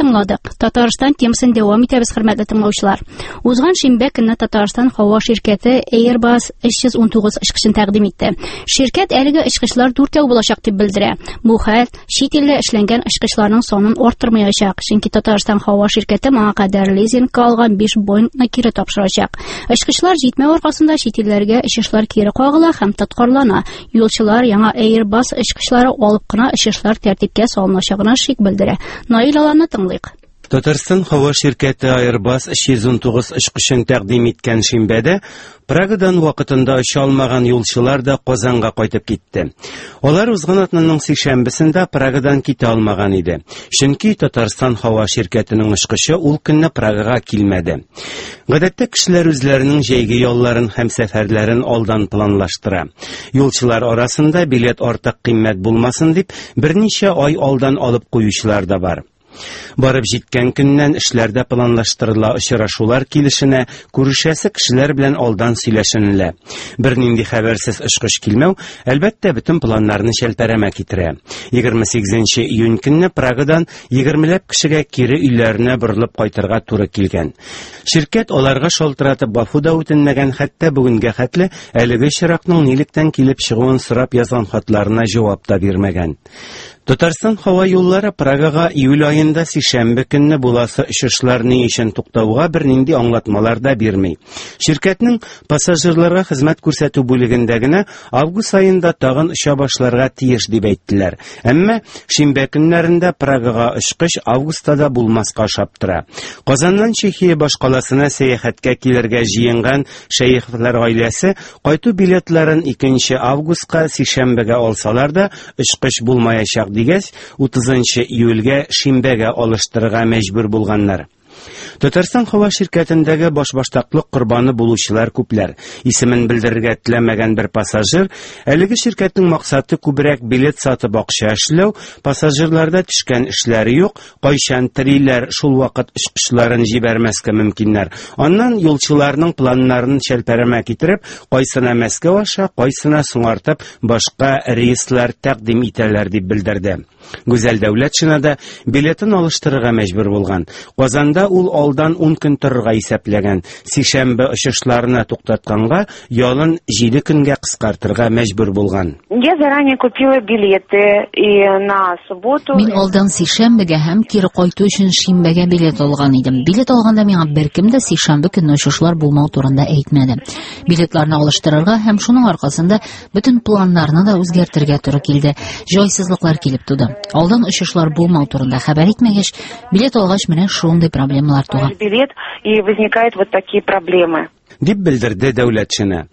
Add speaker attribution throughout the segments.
Speaker 1: тыңладык. Татарстан темасын дәвам итәбез, хөрмәтле тыңлаучылар. Узган шимбә көнне Татарстан һава ширкәте Airbus 319 очкычын тәкъдим итте. Ширкәт әлеге очкычлар дүртәү булачак дип белдерә. Бу хәл чит илдә эшләнгән очкычларның санын арттырмаячак, чөнки Татарстан һава ширкәте моңа кадәр лизингка алган 5 Боингны кире тапшырачак. Очкычлар җитмәү аркасында чит илләргә очышлар кире кагыла һәм тоткарлана. Юлчылар яңа Airbus очкычлары алып кына очышлар тәртипкә салыначагына шик белдерә. Наил Аланны тыңлыйк.
Speaker 2: Татарстан һава ширкәте Airbus 319 очкычын тәкъдим иткән шимбәдә Прагадан вакытында оча алмаган юлчылар да Казанга кайтып китте. Алар узган атнаның сишәмбесендә Прагадан китә алмаган иде. Чөнки Татарстан һава ширкәтенең очкычы ул көнне Прагага килмәде. Гадәттә кешеләр үзләренең җәйге ялларын һәм сәфәрләрен алдан планлаштыра. Юлчылар арасында билет артык кыйммәт булмасын дип, берничә ай алдан алып куючылар да бар. Барып җиткән көннән эшләр дә планлаштырыла, очрашулар килешенә, күрешәсе кешеләр белән алдан сөйләшенелә. Бернинди хәбәрсез очкыч килмәү, әлбәттә, бөтен планнарны чәлпәрәмә китерә. 28 июнь көнне Прагадан егермеләп кешегә кире өйләренә борылып кайтырга туры килгән. Ширкәт аларга шалтыратып гафу да үтенмәгән, хәтта бүгенгә хәтле әлеге очракның нилектән килеп чыгуын сорап язган хатларына җавап та бирмәгән. Татарстан һава юллары Прагага июль аенда сишәмбе көнне буласы очышлар ни өчен туктауга бернинди аңлатмалар да бирми. Ширкәтнең пассажирларга хезмәт күрсәтү бүлегендә генә август аенда тагын оча башларга тиеш дип әйттеләр. Әмма шимбә көннәрендә Прагага очкыч августта да булмаска ошап тора. Казаннан Чехия башкаласына сәяхәткә килергә җыенган Шәеховлар гаиләсе кайту билетларын 2 августка сишәмбегә алсалар да, очкыч булмаячак дигәч, 30 июльгә шимбәгә алыштырырга мәҗбүр булганнар. Татарстан һава ширкәтендәге башбаштаклык корбаны булучылар күпләр. Исемен белдерергә теләмәгән бер пассажир әлеге ширкәтнең максаты күбрәк билет сатып акча эшләү, пассажирларда төшкән эшләре юк, кайчан телиләр, шул вакыт очкычларын җибәрмәскә мөмкиннәр. Аннан юлчыларның планнарын чәлпәрәмә китереп, кайсына Мәскәү аша, кайсына соңартып башка рейслар тәкъдим итәләр дип белдерде. Гүзәл Дәүләтшина да билетын алыштырырга мәҗбүр булган. Казанда ул алдан 10 көн торырга исәпләгән. Сишәмбе очышларны туктатканга ялын 7 көнгә кыскартырга мәҗбүр булган.
Speaker 3: Я заранее купила билеты и на субботу.
Speaker 4: Мин алдан сишәмбегә һәм кире кайту өчен шимбәгә билет алган идем. Билет алганда миңа беркем дә сишәмбе көнне очышлар булмау турында әйтмәде. Билетларны алыштырырга һәм шуның аркасында Бөтен планнарны да үзгәртергә туры килде. Җайсызлыклар килеп туды. Алдан очышлар булмау турында хәбәр итмәгәч, билет алгач менә шундый проблемалар туа.
Speaker 3: Билет и возникают вот такие проблемы.
Speaker 2: Дип белдерде Дәүләтшина.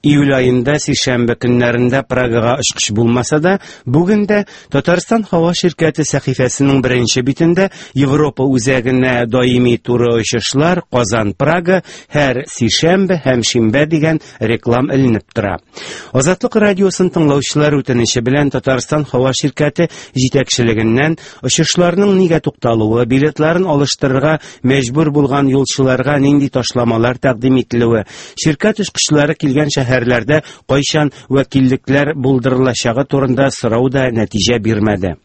Speaker 2: Июль аенда сишәмбе көннәрендә Прагага очкыч булмаса да, бүген дә Татарстан һава ширкәте сәхифәсенең беренче битендә Европа үзәгенә даими туры очышлар Казан-Прага һәр сишәмбе һәм шимбә дигән реклам эленеп тора. Азатлык радиосын тыңлаучылар үтенече белән Татарстан һава ширкәте җитәкчелегеннән очышларның нигә тукталуы, билетларын алыштырырга мәҗбүр булган юлчыларга нинди ташламалар тәкъдим ителүе, ширкәт очкычлары килгән шәһәрләрдә кайчан вәкиллекләр булдырылачагы турында сорау да нәтиҗә бирмәде.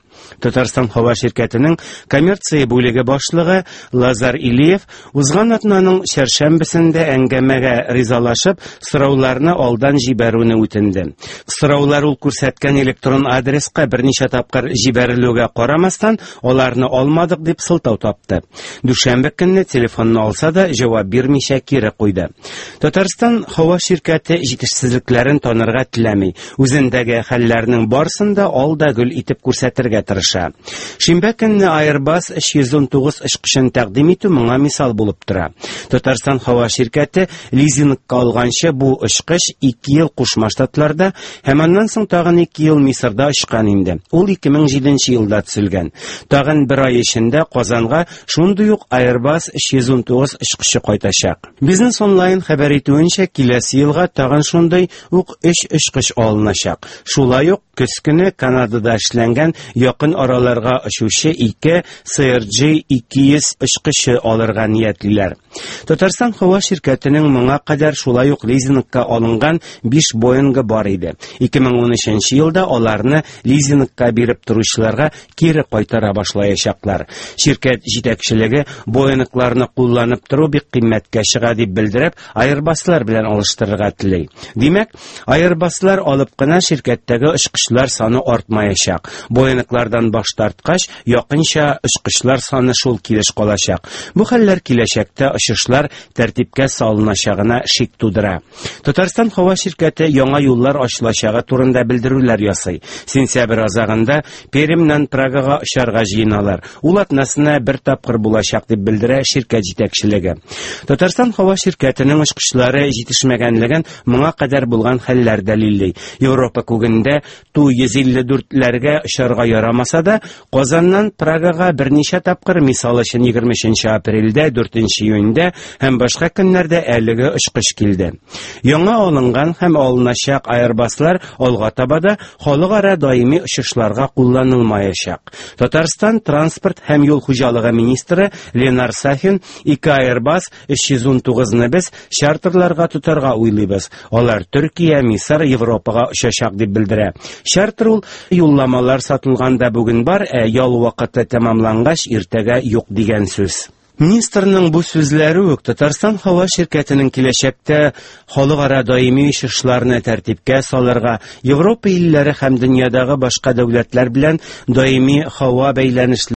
Speaker 2: Татарстан һава ширкәтенең коммерция бүлеге башлыгы Лазар Илиев узган атнаның чәршәмбесендә әңгәмәгә ризалашып, сорауларны алдан җибәрүне үтенде. Сораулар ул күрсәткән электрон адреска берничә тапкыр җибәрелүгә карамастан, аларны алмадык дип сылтау тапты. Дүшәмбе көнне телефонны алса да, җавап бирмичә кире куйды. Татарстан һава ширкәте җитешсезлекләрен танырга теләми. Үзендәге хәлләрнең барсын да ал да гөл итеп күрсәтергә тырыша. Шимбә көнне Airbus 319 очкычын тәкъдим итү моңа мисал булып тора. Татарстан һава ширкәте лизингка алганчы бу очкыч 2 ел Кушма Штатларда һәм аннан соң тагын 2 ел Мисырда очкан инде. Ул 2007 елда төзелгән. Тагын бер ай эчендә Казанга шундый ук Airbus 319 очкычы кайтачак. Бизнес онлайн хәбәр итүенчә, киләсе елга тагын шундый ук өч очкыч алыначак. Шулай ук көз көне Канадада эшләнгән якын якын араларга очучы ике CRJ 200 очкычы алырга ниятлиләр. Татарстан һава ширкәтенең моңа кадәр шулай ук лизингка алынган 5 Боингы бар иде. 2013 елда аларны лизингка биреп торучыларга кире кайтара башлаячаклар. Ширкәт җитәкчелеге Боингларны кулланып тору бик кыйммәткә чыга дип белдереп, Airbus'лар белән алыштырырга тели. Димәк, Airbus'лар алып кына ширкәттәге очкычлар саны артмаячак. Боинглардан баш тарткач, якынча очкычлар саны шул килеш калачак. Бу хәлләр киләчәктә очышлар тәртипкә салыначагына шик тудыра. Татарстан һава ширкәте яңа юллар ачылачагы турында белдерүләр ясый. Сентябрь азагында Пермьнән Прагага очарга җыеналар. Ул атнасына бер тапкыр булачак дип белдерә ширкәт җитәкчелеге. Татарстан һава ширкәтенең очкычлары җитешмәгәнлеген моңа кадәр булган хәлләр дәлилли. Европа күгендә Ту-154ләргә очарга ярамаса да, Казаннан Прагага берничә тапкыр, мисал өчен 23 апрельдә, 4 июньдә һәм башка көннәрдә әлеге очкыч килде. Яңа алынган һәм алыначак Airbus'лар алга таба да халыкара даими очышларга кулланылмаячак. Татарстан транспорт һәм юл хуҗалыгы министры Ленар Сафин ике Airbus 319-ны без чартерларга тотарга уйлыйбыз. Алар Төркия, Мисыр, Европага очачак дип белдерә. Чартер ул юлламалар сатылганда бүген бар, ә ял вакыты тәмамлангач иртәгә юк дигән сүз. Министрның бу сүзләре үк Татарстан һава ширкәтенең киләчәктә халыкара даими очышларны тәртипкә салырга, Европа илләре һәм дөньядагы башка дәүләтләр белән даими һава бәйләнешләрен